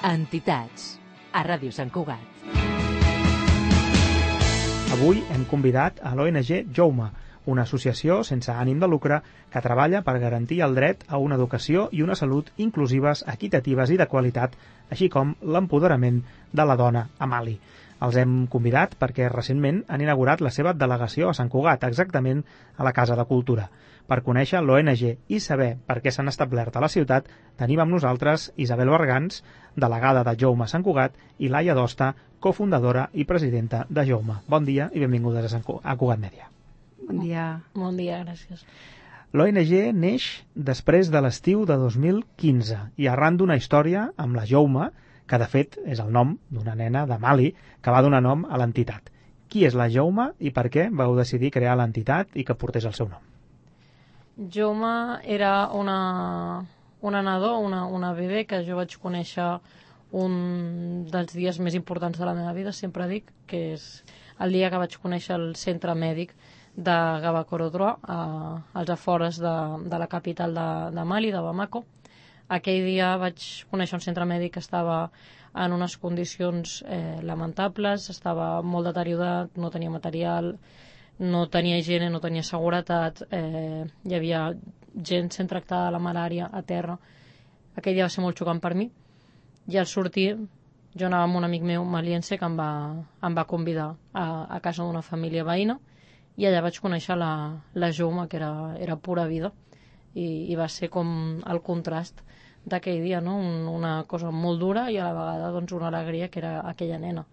Entitats, a Ràdio Sant Cugat. Avui hem convidat a l'ONG Jouma, una associació sense ànim de lucre que treballa per garantir el dret a una educació i una salut inclusives, equitatives i de qualitat, així com l'empoderament de la dona a Mali. Els hem convidat perquè recentment han inaugurat la seva delegació a Sant Cugat, exactament a la Casa de Cultura. Per conèixer l'ONG i saber per què s'han establert a la ciutat, tenim amb nosaltres Isabel Bergans, delegada de Jouma a Sant Cugat, i Laia Dosta, cofundadora i presidenta de Jouma. Bon dia i benvingudes a Cugat Mèdia. Bon dia. Bon dia, gràcies. L'ONG neix després de l'estiu de 2015 i arran d'una història amb la Jouma, que de fet és el nom d'una nena de Mali que va donar nom a l'entitat. Qui és la Jouma i per què vau decidir crear l'entitat i que portés el seu nom? Jouma era una nadó, una bebè que jo vaig conèixer un dels dies més importants de la meva vida, sempre dic, que és el dia que vaig conèixer el centre mèdic de Gabakorodroa, als afores de la capital de Mali, de Bamako. Aquell dia vaig conèixer un centre mèdic que estava en unes condicions lamentables, estava molt deteriorat, no tenia material, no tenia higiene, no tenia seguretat, hi havia gent sent tractada de la malària a terra. Aquell dia va ser molt xocant per mi i al sortir jo anava amb un amic meu maliense que em va convidar a casa d'una família veïna i allà vaig conèixer la Jouma, que era pura vida, i va ser com el contrast d'aquell dia, no? Una cosa molt dura i a la vegada doncs, una alegria, que era aquella nena.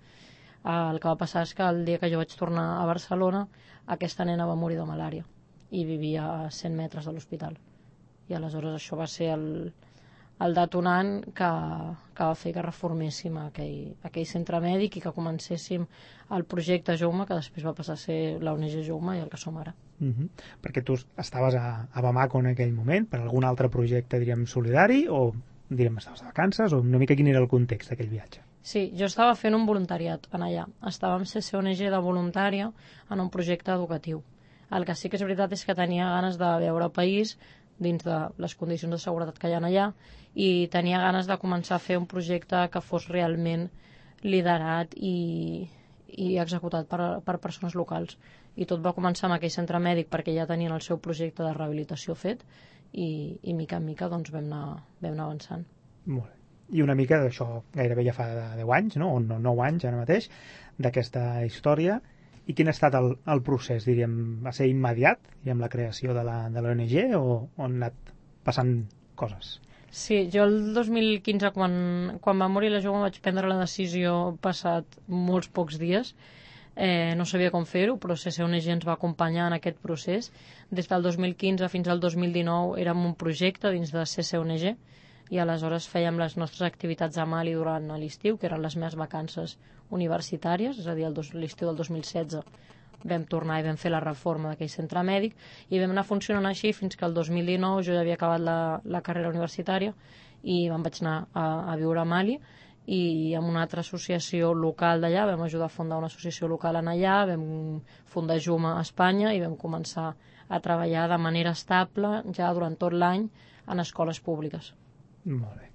El que va passar és que el dia que jo vaig tornar a Barcelona, aquesta nena va morir de malària i vivia a 100 metres de l'hospital. I aleshores això va ser el detonant que va fer que reforméssim aquell centre mèdic i que comencéssim el projecte Jouma, que després va passar a ser l'ONG Jouma i el que som ara. Perquè tu estaves a Bamako en aquell moment per algun altre projecte, diríem, solidari, o diríem, estaves de vacances, o una mica quin era el context d'aquell viatge? Sí, jo estava fent un voluntariat en allà. Estava amb CCONG de voluntària en un projecte educatiu. El que sí que és veritat és que tenia ganes de veure el país dins de les condicions de seguretat que hi ha allà i tenia ganes de començar a fer un projecte que fos realment liderat i executat per persones locals. I tot va començar amb aquell centre mèdic perquè ja tenien el seu projecte de rehabilitació fet i mica en mica doncs, vam anar avançant. Molt bé. I una mica d'això gairebé ja fa 10 anys, no? O 9 anys ara mateix, d'aquesta història. I quin ha estat el procés, diríem? Va ser immediat, amb la creació de l'ONG, o han anat passant coses? Sí, jo el 2015, quan va morir la Jouma, vaig prendre la decisió passat molts pocs dies. No sabia com fer-ho, però CCONG ens va acompanyar en aquest procés. Des del 2015 fins al 2019 érem un projecte dins de CCONG i aleshores fèiem les nostres activitats a Mali durant l'estiu, que eren les meves vacances universitàries, és a dir, l'estiu del 2016 vam tornar i vam fer la reforma d'aquell centre mèdic i vam anar funcionant així fins que el 2019 jo ja havia acabat la carrera universitària i me'n vaig anar a viure a Mali i amb una altra associació local d'allà vam ajudar a fundar una associació local en allà, vam fundar Jouma a Espanya i vam començar a treballar de manera estable ja durant tot l'any en escoles públiques. Molt bé.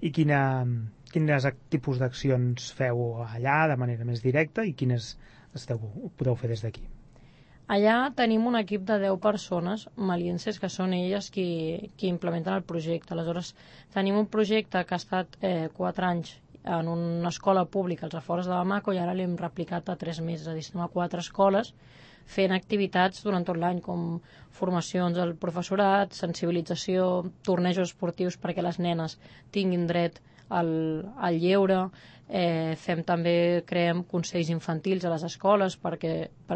I quins tipus d'accions feu allà de manera més directa i quines podeu fer des d'aquí? Allà tenim un equip de 10 persones malienses que són elles qui implementen el projecte. Aleshores, tenim un projecte que ha estat 4 anys en una escola pública als afores de Bamako i ara l'hem replicat a 3 mesos, és a dir, estem a 4 escoles fent activitats durant tot l'any, com formacions al professorat, sensibilització, tornejos esportius perquè les nenes tinguin dret al lleure, creem consells infantils a les escoles per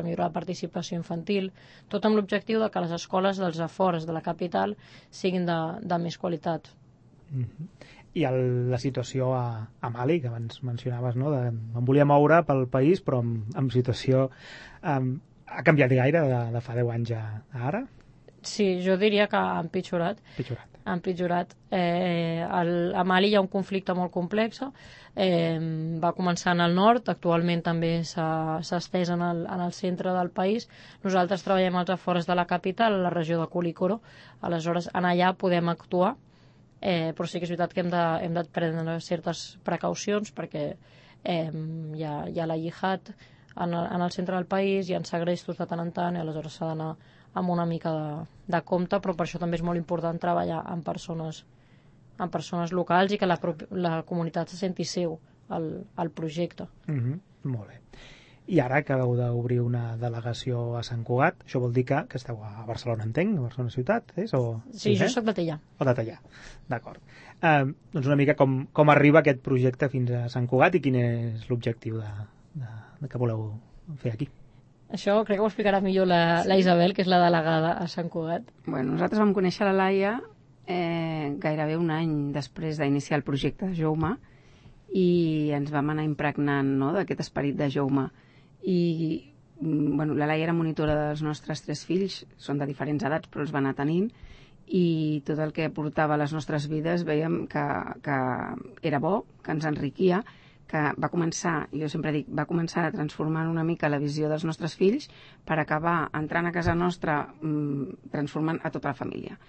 millorar la participació infantil, tot amb l'objectiu de que les escoles dels afores de la capital siguin de més qualitat. I la situació a Mali, que abans mencionaves, no? Em volia moure pel país, però amb situació... Ha canviat gaire de fa 10 anys a ara? Sí, jo diria que ha empitjorat. Ha empitjorat. A Mali hi ha un conflicte molt complex. Va començar en el nord, actualment també s'ha estès en el centre del país. Nosaltres treballem als afores de la capital, a la regió de Kulikoro. Aleshores, en allà podem actuar però sí que és veritat que hem de prendre certes precaucions perquè hi ha la jihad en el centre del país, hi ha segrestos de tant en tant i aleshores s'ha d'anar amb una mica de compte, però per això també és molt important treballar amb persones locals i que la comunitat se senti seu al projecte. Molt bé. I ara acabeu d'obrir una delegació a Sant Cugat, això vol dir que esteu a Barcelona, entenc, a Barcelona ciutat, és? Sí, jo soc de Teià. O de Teià, d'acord. Doncs una mica com arriba aquest projecte fins a Sant Cugat i quin és l'objectiu que voleu fer aquí? Això crec que ho explicarà millor la Isabel, que és la delegada a Sant Cugat. Bueno, nosaltres vam conèixer la Laia gairebé un any després d'iniciar el projecte de Jaume i ens vam anar impregnant, no?, d'aquest esperit de Jaume. I bueno, la Laia era monitora dels nostres 3 fills, són de diferents edats però els va anar tenint, i tot el que aportava a les nostres vides veiem que era bo, que ens enriquia, que va començar, jo sempre dic, va començar a transformar una mica la visió dels nostres fills per acabar entrant a casa nostra transformant a tota la família.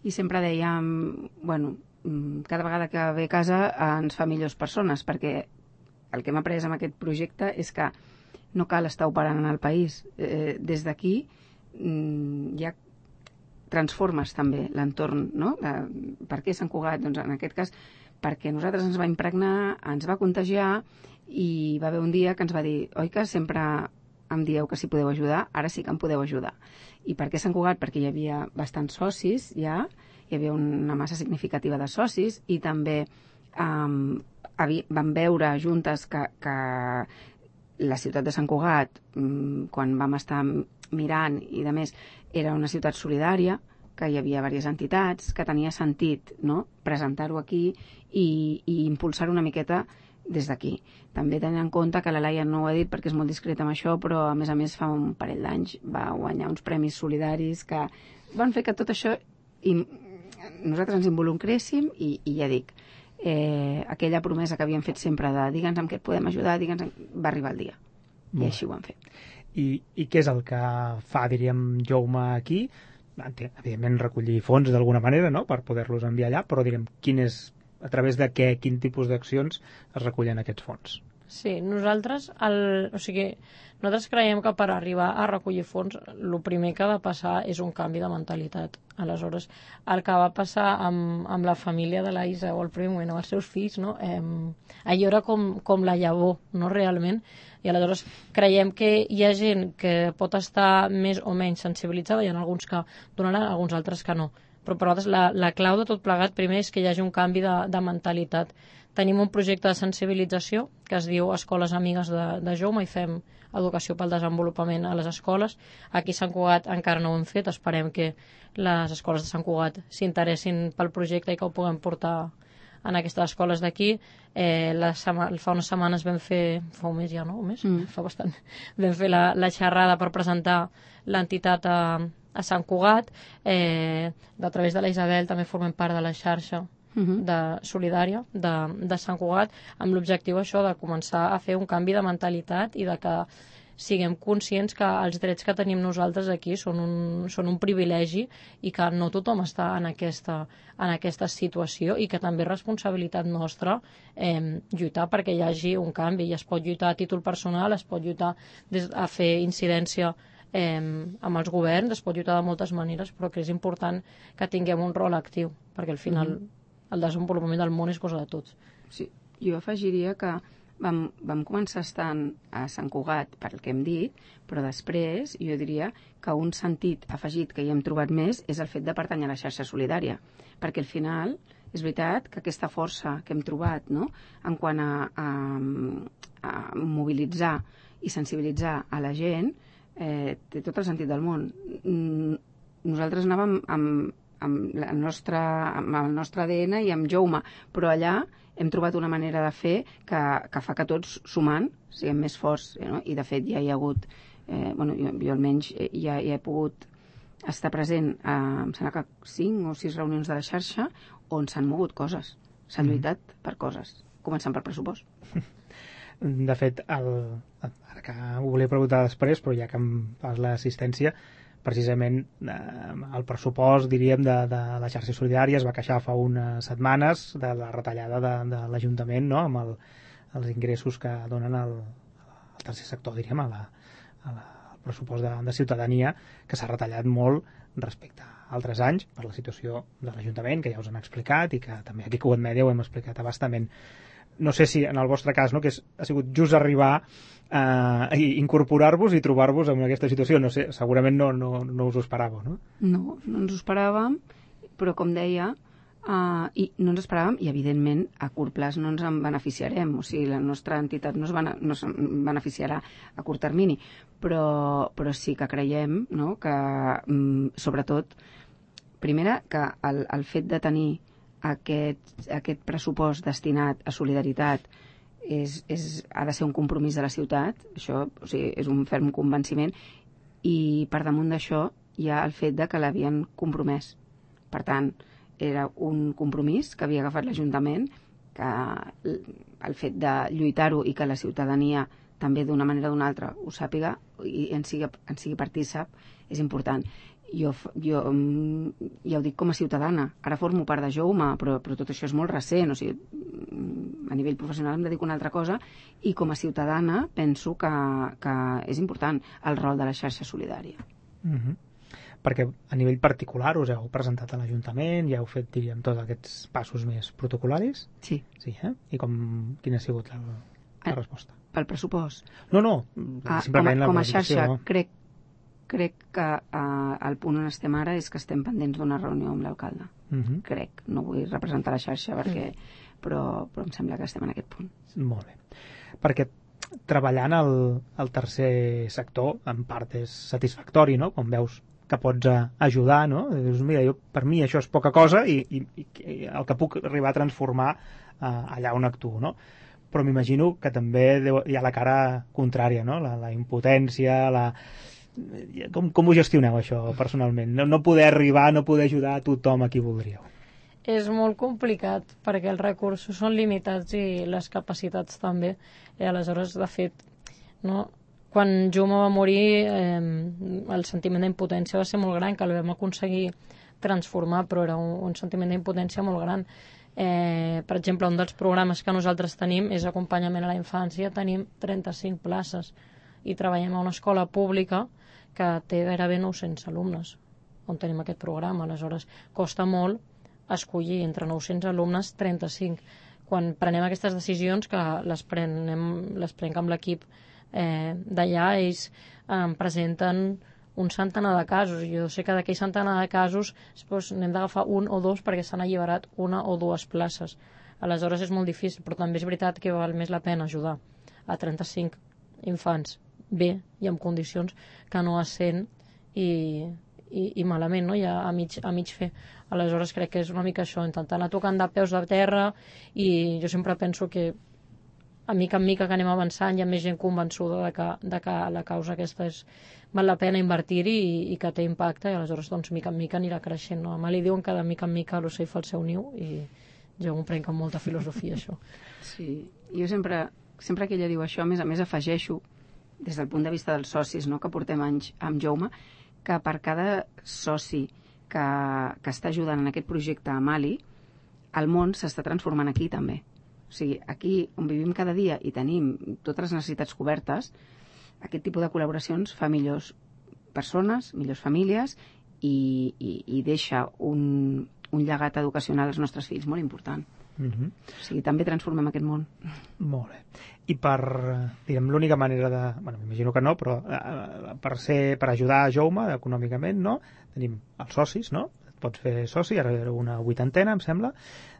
I sempre dèiem, bueno, cada vegada que ve a casa ens fa millors persones, perquè el que hem après amb aquest projecte és que no cal estar operant en el país. Des d'aquí ja transformes també l'entorn, no? Per què Sant Cugat? Doncs en aquest cas perquè nosaltres ens va impregnar, ens va contagiar i va haver un dia que ens va dir, oi que sempre em dieu que si podeu ajudar, ara sí que em podeu ajudar. I per què Sant Cugat? Perquè hi havia bastants socis ja, hi havia una massa significativa de socis i també vam veure juntes que la ciutat de Sant Cugat, quan vam estar mirant i de més, era una ciutat solidària, que hi havia diverses entitats, que tenia sentit, no?, presentar-ho aquí i impulsar-ho una miqueta des d'aquí. També tenint en compte que la Laia no ho ha dit perquè és molt discreta amb això, però a més fa un parell d'anys va guanyar uns premis solidaris que van fer que tot això nosaltres ens involucréssim i ja dic, aquella promesa que havíem fet sempre de digue'ns amb què et podem ajudar, va arribar el dia. I així ho vam fer. I què és el que fa, diríem, Jaume aquí? Evidentment recollir fons d'alguna manera, no?, per poder-los enviar allà, però diguem, a través de quin tipus d'accions es recullen aquests fons? Sí, nosaltres creiem que per arribar a recollir fons el primer que ha de passar és un canvi de mentalitat. Aleshores, el que va passar amb la família de la Isa o el primer moment amb els seus fills, no? Allò era com la llavor, no, realment, i aleshores creiem que hi ha gent que pot estar més o menys sensibilitzada, hi ha alguns que donaran, alguns altres que no, però per nosaltres la clau de tot plegat primer és que hi hagi un canvi de mentalitat. Tenim un projecte de sensibilització que es diu Escoles Amigues de Jaume i fem educació pel desenvolupament a les escoles. Aquí a Sant Cugat encara no ho hem fet, esperem que les escoles de Sant Cugat s'interessin pel projecte i que ho puguem portar en aquestes escoles d'aquí. Fa unes setmanes vam fer, fa un mes ja, no? Un mes? Fa bastant. Vam fer la xerrada per presentar l'entitat a Sant Cugat. A través de la Isabel també formem part de la xarxa de solidària de Sant Cugat, amb l'objectiu això de començar a fer un canvi de mentalitat i de que siguem conscients que els drets que tenim nosaltres aquí són un privilegi i que no tothom està en aquesta situació i que també és responsabilitat nostra lluitar perquè hi hagi un canvi, i es pot lluitar a títol personal, es pot lluitar a fer incidència amb els governs, es pot lluitar de moltes maneres, però que és important que tinguem un rol actiu, perquè al final el desenvolupament del món és cosa de tots. Sí, jo afegiria que vam començar estant a Sant Cugat pel que hem dit, però després jo diria que un sentit afegit que hi hem trobat més és el fet de pertànyer a la xarxa solidària, perquè al final és veritat que aquesta força que hem trobat, no?, en quant a mobilitzar i sensibilitzar a la gent, té tot el sentit del món. Nosaltres anàvem amb el nostre ADN i amb Jaume, però allà hem trobat una manera de fer que fa que tots sumant siguem més forts, no? I de fet ja hi ha hagut, jo almenys ja he pogut estar present em sembla que 5 o 6 reunions de la xarxa on s'han mogut coses, s'han lluitat per coses, començant per pressupost. De fet, ara que ho volia preguntar després, però ja que em fas l'assistència, precisament el pressupost, diríem, de la xarxa solidària es va queixar fa unes setmanes de la retallada de l'Ajuntament, no?, amb els ingressos que donen al tercer sector, diríem, al pressupost de ciutadania, que s'ha retallat molt respecte a altres anys per la situació de l'Ajuntament, que ja us han explicat i que també aquí a Cugat Mèdia ho hem explicat abastament. No sé si en el vostre cas, no, que ha sigut just arribar i incorporar-vos i trobar-vos en aquesta situació, no sé, segurament no us ho esperàveu, no? No ens ho esperàvem, però com deia, i no ens esperàvem, i evidentment a curt plaç no ens en beneficiarem, o sigui, la nostra entitat no es beneficiarà a curt termini, però sí que creiem, no?, que sobretot, primera, que el fet de tenir aquest pressupost destinat a solidaritat ha de ser un compromís de la ciutat, això, o sigui, és un ferm convenciment, i per damunt d'això hi ha el fet de que l'havien compromès. Per tant, era un compromís que havia agafat l'Ajuntament, que el fet de lluitar-ho i que la ciutadania també d'una manera o d'una altra ho sàpiga i en sigui partícip és important. Jo ja ho dic com a ciutadana, ara formo part de Jouma, però tot això és molt recent, o sigui, a nivell professional em dedico a una altra cosa, i com a ciutadana penso que és important el rol de la xarxa solidària. Perquè a nivell particular us heu presentat a l'Ajuntament, ja heu fet, diríem, tots aquests passos més protocolaris? Sí. I quina ha sigut la resposta? Pel pressupost? No, simplement com a xarxa, crec que el punt on estem ara és que estem pendents d'una reunió amb l'alcalde. Crec, no vull representar la xarxa però em sembla que estem en aquest punt. Molt bé. Perquè treballant al tercer sector en part és satisfactori, no?, quan veus que pots ajudar, no? Dius, mira, per mi això és poca cosa i el que puc arribar a transformar allà on actuo, no? Però m'imagino que també hi ha la cara contrària, no?, la impotència, Com ho gestioneu, això, personalment? No poder arribar, no poder ajudar a tothom a qui voldríeu. És molt complicat, perquè els recursos són limitats i les capacitats també. I aleshores, de fet, no? Quan Jouma va morir, el sentiment d'impotència va ser molt gran, que el vam aconseguir transformar, però era un sentiment d'impotència molt gran. Per exemple, un dels programes que nosaltres tenim és acompanyament a la infància, tenim 35 places i treballem a una escola pública que té gairebé 900 alumnes on tenim aquest programa. Aleshores, costa molt escollir entre 900 alumnes 35. Quan prenem aquestes decisions, que les prenc amb l'equip d'allà, ells presenten un centenar de casos. Jo sé que d'aquell centenar de casos n'hem d'agafar un o dos perquè s'han alliberat una o dues places. Aleshores és molt difícil, però també és veritat que val més la pena ajudar a 35 infants bé i en condicions que no a 100 i malament, no? Ja a mig fer. Aleshores crec que és una mica això, intentar anar tocant de peus de terra, i jo sempre penso que a mica en mica que anem avançant hi ha més gent convençuda de que la causa aquesta val la pena invertir-hi i que té impacte, i aleshores doncs mica en mica anirà creixent, no? A mà li diuen que de mica en mica l'ocell fa el seu niu, i jo m'ho prenc amb molta filosofia, això. Sí, jo sempre que ella diu això, a més afegeixo, des del punt de vista dels socis, no?, que portem anys amb Jouma, que per cada soci que està ajudant en aquest projecte a Mali, el món s'està transformant aquí també. O sigui, aquí on vivim cada dia i tenim totes les necessitats cobertes, aquest tipus de col·laboracions fa millors persones, millors famílies i deixa un llegat educacional als nostres fills molt important. O sigui, també transformem aquest món. Molt bé. I diguem, l'única manera de... Bueno, m'imagino que no, però per ajudar a Jouma econòmicament, no? Tenim els socis, no? Et pots fer soci, ara era una 80ena, em sembla.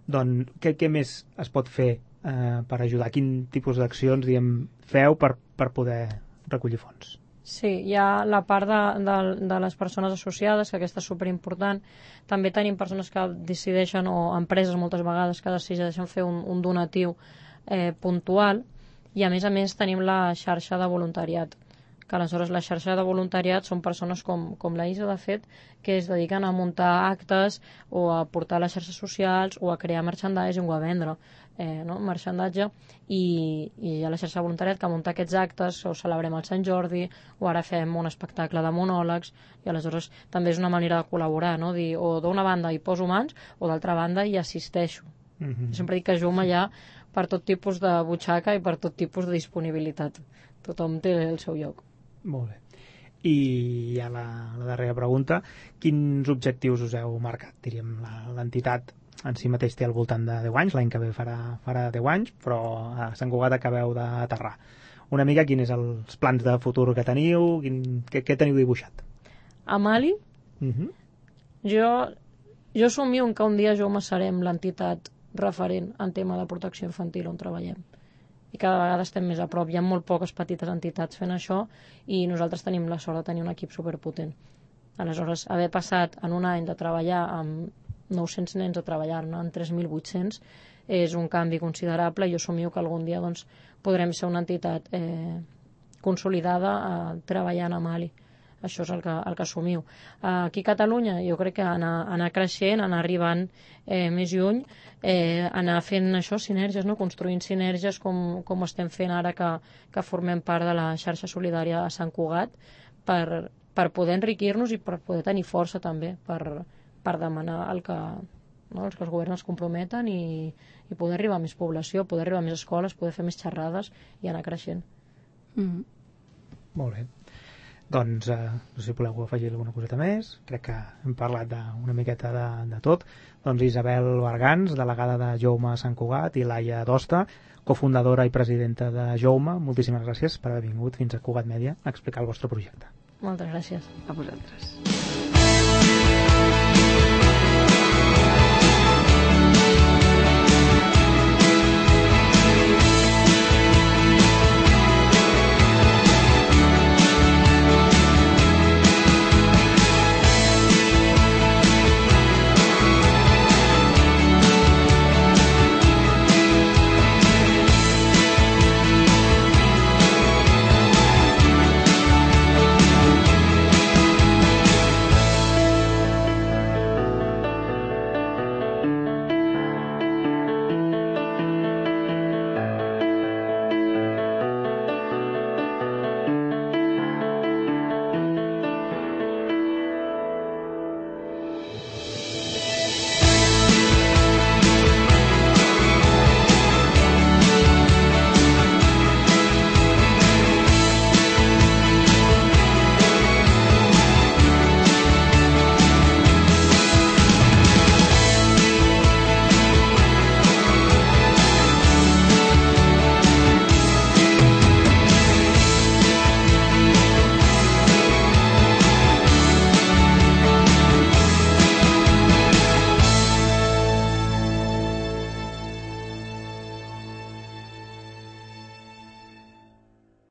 Doncs què més es pot fer per ajudar? Quin tipus d'accions, diguem, feu per poder recollir fons? Sí, hi ha la part de les persones associades, que aquesta és superimportant. També tenim persones que decideixen, o empreses moltes vegades, que decideixen fer un donatiu puntual, i a més tenim la xarxa de voluntariat, que aleshores la xarxa de voluntariat són persones com la Isa, de fet, que es dediquen a muntar actes o a portar a les xarxes socials o a crear merchandising o a vendre merchandatge, i hi ha la xarxa de voluntariat que munta aquests actes, o celebrem el Sant Jordi, o ara fem un espectacle de monòlegs, i aleshores també és una manera de col·laborar, no? Dir, o d'una banda hi poso mans o d'altra banda hi assisteixo. Sempre dic que a Jouma hi ha per tot tipus de butxaca i per tot tipus de disponibilitat. Tothom té el seu lloc. Molt bé. I ja la darrera pregunta, quins objectius us heu marcat? Diríem, l'entitat en si mateix té al voltant de 10 anys, l'any que ve farà 10 anys, però a Sant Cugat acabeu d'aterrar. Una mica quins són els plans de futur que teniu, què teniu dibuixat? A Mali, jo somio que un dia Jouma serem l'entitat referent en tema de protecció infantil on treballem. I cada vegada estem més a prop. Hi ha molt poques petites entitats fent això i nosaltres tenim la sort de tenir un equip superpotent. Aleshores, haver passat en un any de treballar amb 900 nens a treballar-ne en 3.800 és un canvi considerable. Jo somio que algun dia podrem ser una entitat consolidada treballant a Mali. Això és el que assumim. Aquí a Catalunya jo crec que anar creixent, anar arribant més lluny, anar fent això, sinergies, construint sinergies com estem fent ara que formem part de la xarxa solidària a Sant Cugat per poder enriquir-nos i per poder tenir força també per demanar el que els governs es comprometen i poder arribar a més població, poder arribar a més escoles, poder fer més xerrades i anar creixent. Molt bé. Doncs no sé si voleu afegir alguna coseta més. Crec que hem parlat una miqueta de tot. Doncs Isabel Bargans, delegada de Jouma a Sant Cugat, i Laia Dosta, cofundadora i presidenta de Jouma, moltíssimes gràcies per haver vingut fins a Cugat Mèdia a explicar el vostre projecte. Moltes gràcies. A vosaltres.